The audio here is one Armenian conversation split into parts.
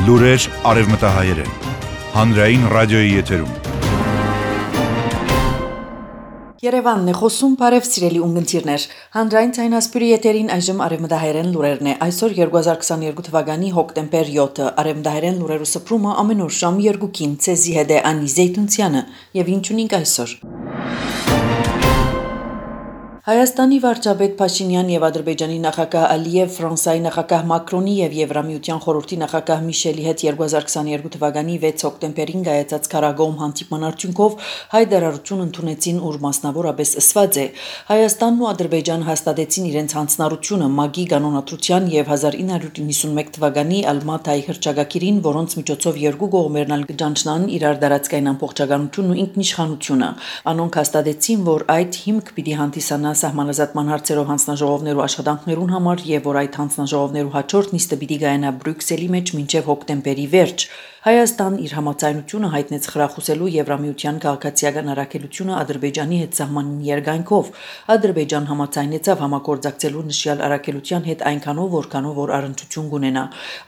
Լուրեր արևմտահայերեն, հանրային ռադիոյի եթերում։ Երևանն է խոսում, բարև սիրելի ունգընտիրներ, հանրային ցայնասպյուրի եթերին այժմ արևմտահայերեն լուրերն է, այսօր 2022 թվականի հոկտեմբեր 7-ը, արևմտահայերեն լուրերու սփռումը ամեն օր շամ 2-ին, ցեզի հետ է Անի Զեյթունցյանը, եւ ինչ ունենք այսօր։ Հայաստանի վարչապետ Փաշինյան եւ Ադրբեջանի նախագահ Ալիև, Ֆրանսիայի նախագահ Մակրոնի եւ Եվրամիության խորհրդի նախագահ Միշելի հետ 2022 թվականի 6 հոկտեմբերին կայացած քարագոհում հանդիպման արդյունքով հայտարարություն ընդունեցին, ուր մասնավորապես ասված է. Հայաստանն ու Ադրբեջանը հաստատեցին իրենց հանձնառությունը ՄԱԳ-ի կանոնադրության եւ 1991 թվականի Ալմատայի հռչակագիրին, որոնց միջոցով երկու կողմերն ալ կճանչնան իրար դարածքային ամբողջականությունն ու ինքնիշխանությունը։ Անոնք հաստատեցին, որ այդ հիմք պիտի հանդիսանա սահմանազատման հարցերով հանձնաժողովներու աշխատանքներուն համար եւ որ այդ հանձնաժողովներու հաջորդ նիստը պիտի կայանա Բրյուսելի մեջ մինչեւ հոկտեմբերի վերջ։ Հայաստան իր համաձայնությունը հայտնեց խրախուսելու Եվրամիության քաղաքացիական առաքելությունը Ադրբեջանի հետ սահմանին երկայնքով։ Ադրբեջան համաձայնեցավ համագործակցելու նշյալ առաքելության հետ այնքանով, որքանով որ առընչություն կունենա։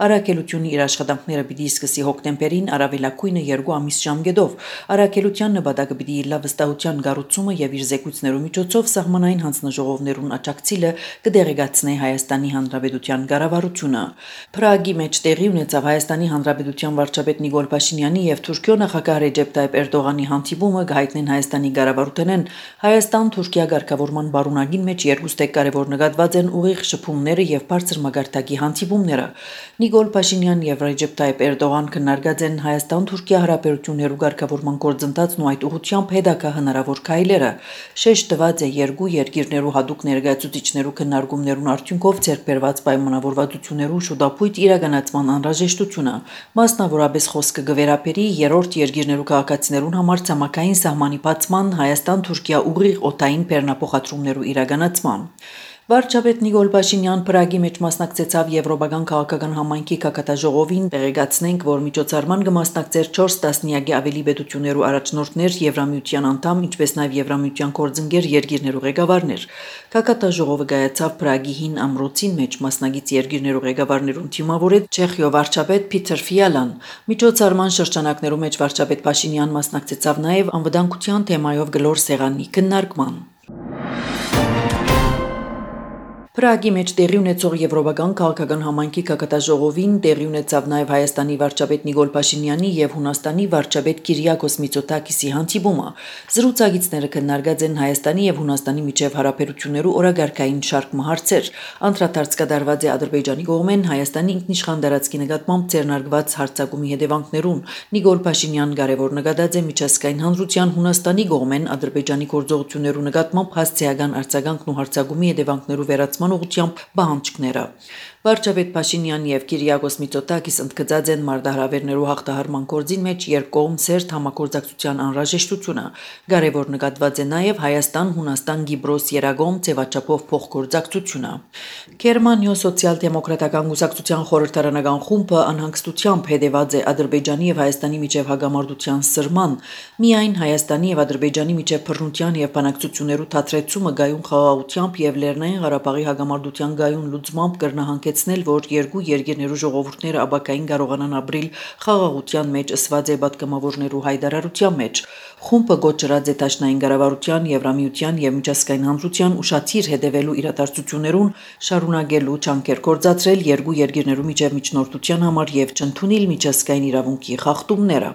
Առաքելությունը իր աշխատանքները պիտի սկսի հոկտեմբերին, առավելագույնը 2 ամիս ժամկետով։ Առաքելության նպատակը պիտի լա վստահության կառուցումը եւ իր զեկույցներու միջոցով սահմանային հանձնաժողովներուն աջակցելը կդեղեկացնի Հայաստանի Հանրապետության կառավարությունը։ Պրագի մեջ տեղի ունեցավ Հայաստանի Հանրապետության վարչապետ Նիկոլ Փաշինյանի եւ Թուրքիո նախագահ Ռեջեփ Տայիպ Էրդողանի հանդիպումը գայտնեն Հայաստանի կառավարութենեն Հայաստան-Թուրքիա ղեկավարման բարունակին մեջ երկուստեք կարևոր նկատված են ուղիղ շփումները եւ բարձր մագարտակի հանդիպումները։ Նիկոլ Փաշինյան եւ Ռեջեփ Տայիպ Էրդողան քննարկած են Հայաստան-Թուրքիա հարաբերություններու ղեկավարման գործընթացն ու այդ ուղղությամբ հետագա հնարավոր քայլերը։ Շեշտ տված է երկու երկիրներու հadoop ներկայացուցիչներու քննարկումներուն արդյունքով ձեռք բերված պայմանավորվածություններու շուտապույտ իրականացման անհրաժեշտությունը։ Մասնավորապես խոսքը կվերապերի երրորդ երկիրներու քաղաքացիներուն համար ցամաքային սահմանի բացման Հայաստան-Թուրքիա ուղիղ օդային բեռնափոխադրումներու իրականացման։ Վարչապետ Նիկոլ Փաշինյան Պրագի մեջ մասնակցեցավ Եվրոպական քաղաքական համայնքի կակատաժողովին, տեղեկացնենք, որ միջոցառման կմասնակցեր 4 տասնյակի ավելի պետություններու առաջնորդներ, Եվրամիության անդամ, ինչպես նաև Եվրամիության կորձընկեր երկիրներու ղեկավարներ։ Կակատաժողովը կայացավ Պրագի հին ամրոցին մեջ մասնակից երկիրներու ղեկավարներուն թիմավորեց Չեխիո վարչապետ Պիտեր Ֆիալան։ Միջոցառման շրջանակներու մեջ վարչապետ Փաշինյան մասնակցեցավ նաև անվտանգության թեմայով գլոր սեղանի քննարկման։ Պրագի մեջ տեղի ունեցող Եվրոպական քաղաքական համայնքի կակատաժողովին տեղի ունեցավ նաև Հայաստանի վարչապետ Նիկոլ Փաշինյանի եւ Հունաստանի վարչապետ Կիրիակոս Միծոտակիսի հանդիպումը։ Զրուցակիցները քննարկած են Հայաստանի եւ Հունաստանի միջև հարաբերություններու օրագարկային շարք հարցեր։ Անդրադարձ կատարված է Ադրբեջանի կողմեն Հայաստանի ինքնիշխան տարածքի նկատմամբ ձեռնարկված հարձակումի հետևանքներուն։ Նիկոլ Փաշինյան կարևոր նկատած է միջազգային հանրության Հունաստանի կողմեն Ադրբեջանի գործողություններու նկատմամբ հասցեական արձագանքն ու հարձակումի հետևանքներու վերացման ուղղությամբ պահանջները։ Վարչապետ Փաշինյան եւ Կիրիակոս Միծոտակիս ընդգծած են մարտահրավերներու հաղթահարման գործին մեջ երկկողմ սերտ համագործակցության անհրաժեշտությունը։ Կարևոր նկատված է նաեւ Հայաստան-Հունաստան-Կիպրոս երագոմ ձևաչափով փոխգործակցությունը։ Գերմանիո սոցիալ-դեմոկրատական կուսակցության խորհրդարանական խումբը անհանգստությամբ հետևած է Ադրբեջանի եւ Հայաստանի միջև հագամարտության սրման։ Միայն Հայաստանի եւ Ադրբեջանի միջև բռնության եւ բանակցություններու թատրեցումը գայուն խաղաղությամբ եւ Լեռնային Ղարաբաղի հագամարտության գայուն լուծմամբ կրնահանգեցնել, որ երկու երկիրներու ժողովուրդները ապակային կարողանան ապրիլ խաղաղության մեջ ըսված է պատգամավորներու հայտարարության մեջ։ Խումբը գոչրած է Դաշնային կառավարության, Եվրամիության եւ միջազգային հանրության ուշադիր հետևելու իրադարձություններուն, շարունակելու ջանքեր գործադրել երկու երկիրներու միջև միջնորդության համար եւ չընդունել միջազգային իրավունքի խախտումները։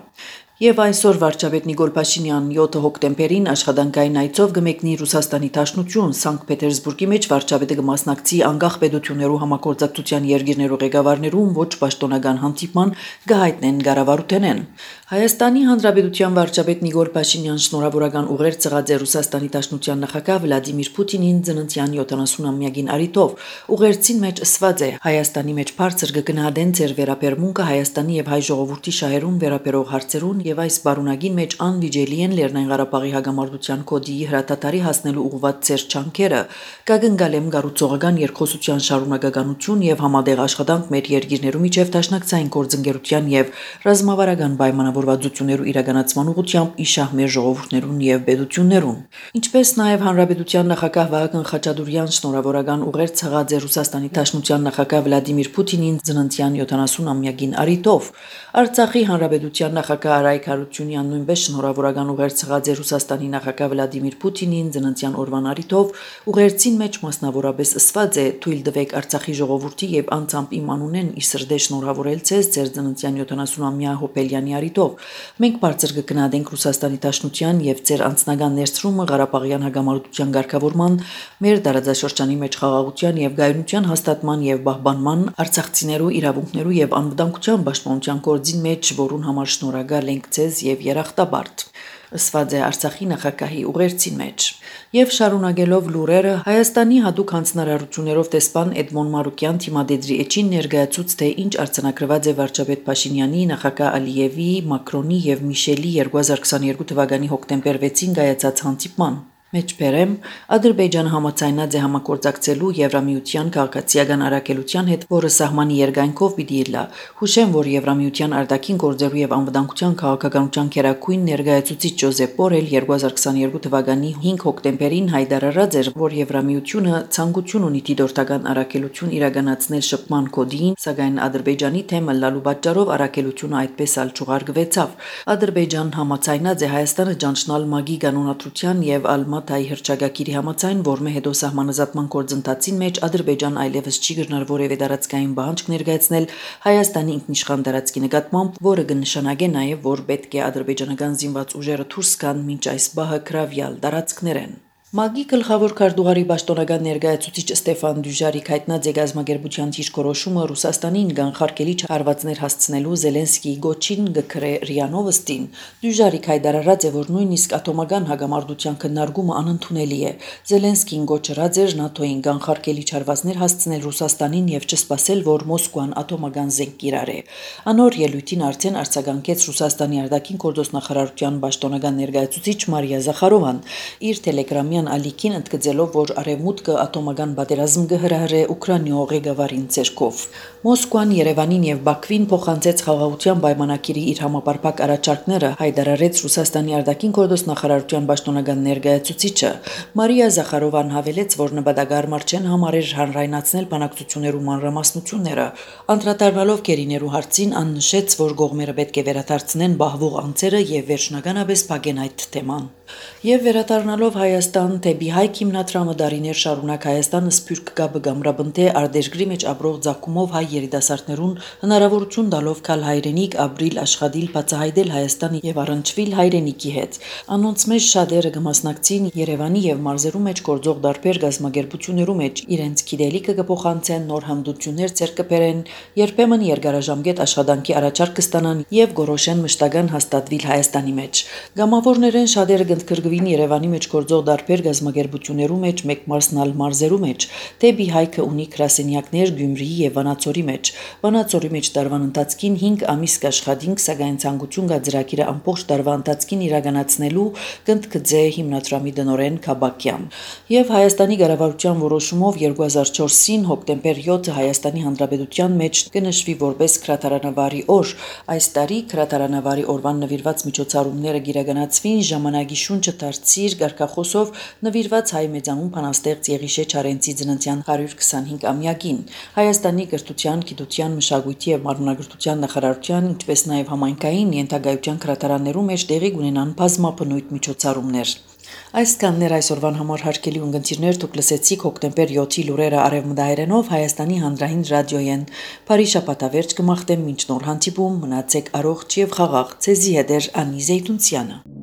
Եվ այսօր վարչապետ Նիկոլ Փաշինյան 7 հոկտեմբերին աշխատանքային այցով կմեկնի Ռուսաստանի Դաշնություն Սանկտ Պետերսբուրգի մեջ վարչապետը կմասնակցի անկախ պետություններու համագործակցության երկիրներու ղեկավարներուն ոչ պաշտոնական հանդիպման կհայտնեն կառավարութենեն։ Հայաստանի Հանրապետության վարչապետ Նիկոլ Փաշինյան շնորհավորական ուղեր ծղած է Ռուսաստանի Դաշնության նախագահ Վլադիմիր Պուտինին ծննդյան 70-ամյակին արիթով։ Ուղերձին մեջ ասված է. Հայաստանի մեջ բարձր կգնահատեն ձեր վերաբերմունքը Հայաստանի եւ հայ ժողովրդի շահերուն վերաբերող հարցերուն եւ այս բարունագին մեջ անվիճելի են Լեռնային Ղարաբաղի հագամարտության կոդի հրատատարի հասնելու ուղղված ծեր չանքերը, կագնգալեմ գառուցողական երկխոսության շարունակականություն եւ համատեղ աշխատանք մեր երկիրներու միջև դաշնակցային գործընկերության եւ ռազմավարական պայմանավորվածություններու իրականացման ուղղությամբ իշահ մեր ժողովուրդներուն եւ պետություններուն, ինչպես նաեւ Հանրապետության նախագահ Վահագն Խաչատուրյան շնորհավորական ուղերձ ցղած է Ռուսաստանի Դաշնության նախագահ Վլադիմիր Պուտինին ծննդյան 70-ամյակին առիթով, Արցախի Հանրապետության նախագահ Արայք Հարությունյան նույնպես շնորհավորական ուղերձ ցղած է Ռուսաստանի նախագահ Վլադիմիր Պուտինին ծննդյան օրվան առիթով, ուղերձին մեջ մասնավորապես ասված է թույլ տվեք Արցախի ժողովրդի եւ անձամբ իմ անունեն ի սրդե շնորհավորել ցեզ ձեր ծննդյան 70-ամյա հոբելյանի առիթով։ Մենք բարձր կգնահատենք Ռուսաստանի Դաշնության եւ ձեր անձնական ներդրումը Ղարաբաղյան հագամարտության ղեկավարման, մեր տարածաշրջանի մեջ խաղաղության եւ գայունության հաստատման եւ պահպանման, արցախցիներու իրավունքներու եւ անվտանգության պաշտպանության գործին մեջ, որուն համար շնորհակալ ենք ձեզ եւ երախտապարտ, ասված է Արցախի նախագահի ուղերձին մեջ։ Եվ շարունակելով լուրերը, Հայաստանի հատուկ հանձնարարություններով տեսփան Էդմոն Մարուկյան թիմադեդրի էջին ներկայացուց, թե ինչ արձանագրված է վարչապետ Փաշինյանի, նախագահ Ալիևի, Մակրոնի եւ Միշելի 2022 թվականի հոկտեմբեր 6-ին կայացած հանդիպման։ Մեջբերեմ, Ադրբեջանը համաձայնած է համագործակցելու Եվրամիության քաղաքացիական առաքելության հետ, որը սահմանի երկայնքով պիտի լա։ Հուշեմ, որ Եվրամիության արտաքին գործերու եւ անվտանգության քաղաքականության քերակույն ներկայացուցիչ Ջոզեփ Բորել 2022 թվականի 5 հոկտեմբերին հայտարարած էր, որ Եվրամիությունը ցանկություն ունի դիտորդական առաքելություն իրականացնել շփման կոդին, սակայն Ադրբեջանի թեմը լալու պատճառով առաքելությունը այդպես ալ չուղարկվեցավ։ Ադրբեջանն համաձայնած է Հայաստանը ճանչնալ ՄԱԳ-ի կանոնադրության եւ Ալմատայի հրճագակիրի համաձայն, որմե հետո սահմանազատման գործընթացին մեջ Ադրբեջան այլևս չի գտնար որևէ տարածքային բանջք ներկայացնել Հայաստանի ինքնիշխան տարածքի նկատմամբ, որը կնշանակե նաև, որ պետք է ադրբեջանական զինված ուժերը դուրս գան մինչ այս բահը գրավյալ տարածքներ են։ ՄԱԳ-ի գլխավոր քարտուղարի պաշտոնական ներկայացուցիչ Ստեֆան Դյուժարիկ հայտնած է գազམ་ագերբության ճիշտ-կորոշումը Ռուսաստանին կանխարգելիչ հարվածներ հասցնելու Զելենսկիի գոչին գքրե ՌԻԱ Նովոստին։ Դյուժարիկ հայտարարած է, որ նույնիսկ ատոմական հագամարտության քննարկումը անընդունելի է։ Զելենսկին գոչրած էր ՆԱՏՕ-ին կանխարգելիչ հարվածներ հասցնել Ռուսաստանին եւ չսպասել, որ Մոսկվան ատոմական զենք կիրառի։ Անոր ելույթին արդեն արձագանքեց Ռուսաստանի արտաքին գործոստ նախարարության պաշտոնական ներկայացուցիչ Մարիա Զախարովան իր տելեգրամի ալիքին ընդգծելով, որ Արևմուտքը ատոմական պատերազմ կհրահրե Ուկրաինայ ղեկավարին ցերկով։ Մոսկվան Երևանին եւ Բաքվին փոխանցեց խաղաղության պայմանագիրի իր համապարփակ առաջարկները, հայտարարեց Ռուսաստանի արտաքին գործոստ նախարարության պաշտոնական ներկայացուցիչը։ Մարիա Զախարովան հավելեց, որ նպատակարար չեն համարել հանրայնացնել բանակցություններու մանրամասնությունները։ Անդրադառնալով գերիներու հարցին, աննշեց, որ կողմերը պետք է վերադարձնեն բահվող անձերը եւ վերջնականապես փակեն այդ թեման։ Եվ վերադառնալով Հայաստան դեպի Հայք հիմնադրամը դարիներ շարունակ Հայաստանը սփյուռք կապը գամրաբնթե արտերկրի մեջ ապրող ցակումով հայ երիտասարդներուն հնարավորություն տալով կալ հայրենիք ապրիլ աշխատիլ բացահայտել Հայաստանի եւ առնչվել հայրենիքի հետ։ Անոնց մեջ շատերը կմասնակցին Երևանի եւ մարզերու մեջ գործող դարբեր գազམ་ագերբություններու մեջ իրենց գիտելիքը կփոխանցեն, նոր հմտություններ ձեռք կբերեն, երբեմն երկարաժամկետ աշխատանքի առաջարկ կստանան եւ գորոշեն մշտական հաստատվել Հայաստանի մեջ։ Գամավորներեն շատերը կընդգրկվին Երևանի մեջ գործող դարբեր գազམ་ագերբություններու մեջ մեկ մարզնալ մարզերու մեջ, դեպի Հայքը ունի գրասենյակներ Գյումրիի եւ Վանաձորի մեջ։ Վանաձորի մեջ տարվան ընթացքին 5 ամիս կաշխատինք, սակայն ցանկություն կա ծրագիրը ամբողջ տարվա ընթացքին իրականացնելու կընդգծե հիմնադրամի դնորեն Քաբակյան։ Եվ Հայաստանի կառավարության որոշումով 2004-ին հոկտեմբեր 7-ը Հայաստանի Հանրապետության մեջ կնշվի որպես քրատարանավարի օր։ Այս տարի քրատարանավարի օրվան նվիրված միջոցառումները կիրականացվին ժամանակի շունչը դարձիր գարկախոսով նվիրված հայ մեծանուն բանաստեղծ Եղիշե Չարենցի ծննդյան 125-ամյակին։ Հայաստանի կրթության, գիտության, մշակույթի եւ մարմնագրթության նախարարության, ինչպես նաեւ համայնքային ենթագայության քրատարաններու մեջ տեղի կունենան բազմաբնույթ միջոցառումներ։ Այսքաններ այսօրվան համար հարգելի ունգընտիրներ, դուք լսեցիք հոկտեմբեր 7-ի լուրերը արևմտահայերենով Հայաստանի հանրային ռադիոյեն։ Բարի շաբաթավերջ կմաղթեմ մինչ նոր հանդիպում, մնացեք առողջ եւ խաղաղ։ Ցեզի հետ է Անի Զեյթունցյանը։